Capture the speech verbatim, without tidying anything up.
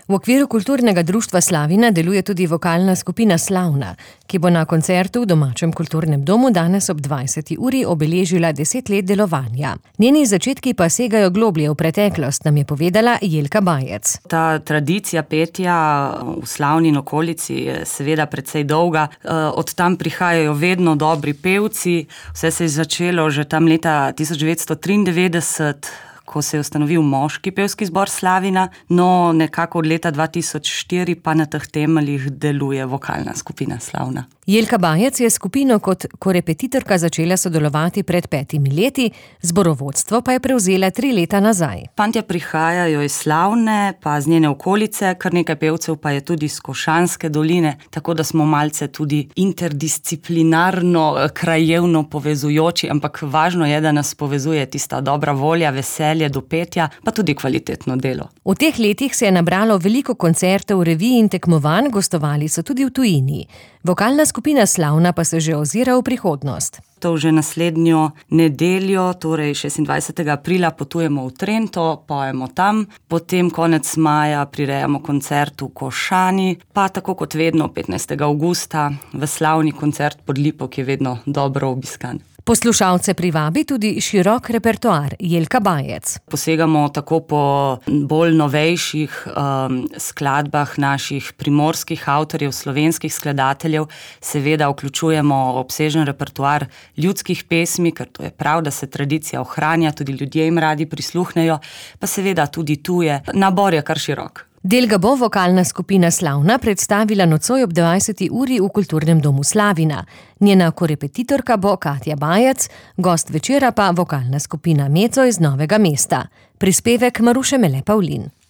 V okviru kulturnega društva Slavina deluje tudi vokalna skupina Slavna, ki bo na koncertu v domačem kulturnem domu danes ob dvajseti uri obeležila deset let delovanja. Njeni začetki pa segajo globlje v preteklost, nam je povedala Jelka Bajec. Ta tradicija petja v Slavni in okolici je seveda precej dolga. Od tam prihajajo vedno dobri pevci. Vse se je začelo že tam leta tisoč devetsto triindevetdeset, ko se je ustanovil moški pevski zbor Slavina, no nekako od leta dva tisoč štiri pa na teh temeljih deluje vokalna skupina Slavna. Jelka Bajec je skupino kot korepetitorka začela sodelovati pred petimi leti, zborovodstvo pa je prevzela tri leta nazaj. Fantje prihajajo iz Slavne, pa z njene okolice, kar nekaj pevcev pa je tudi iz Košanske doline, tako da smo malce tudi interdisciplinarno, krajevno povezujoči, ampak važno je, da nas povezuje tista dobra volja, veselje do petja, pa tudi kvalitetno delo. V teh letih se je nabralo veliko koncertov, revij in tekmovanj, gostovali so tudi v tujini. Vokalna skupina Slavna pa se že ozira v prihodnost. To že naslednjo nedeljo, torej šestindvajsetega aprila, potujemo v Trento, pojemo tam, potem konec maja prirejamo koncert v Košani, pa tako kot vedno petnajstega avgusta v slavni koncert pod Lipo, ki je vedno dobro obiskan. Poslušalce privabi tudi širok repertoar. Jelka Bajec. Posegamo tako po bolj novejših um, skladbah naših primorskih avtorjev, slovenskih skladateljev. Seveda vključujemo obsežen repertoar ljudskih pesmi, ker to je prav, da se tradicija ohranja, tudi ljudje jim radi prisluhnejo, pa seveda tudi tuje. Nabor je kar širok. Del ga bo vokalna skupina Slavna predstavila nocoj ob dvajseti uri v kulturnem domu Slavina. Njena korepetitorka bo Katja Bajec, gost večera pa vokalna skupina Meco iz Novega mesta. Prispevek Maruše Mele Pavlin.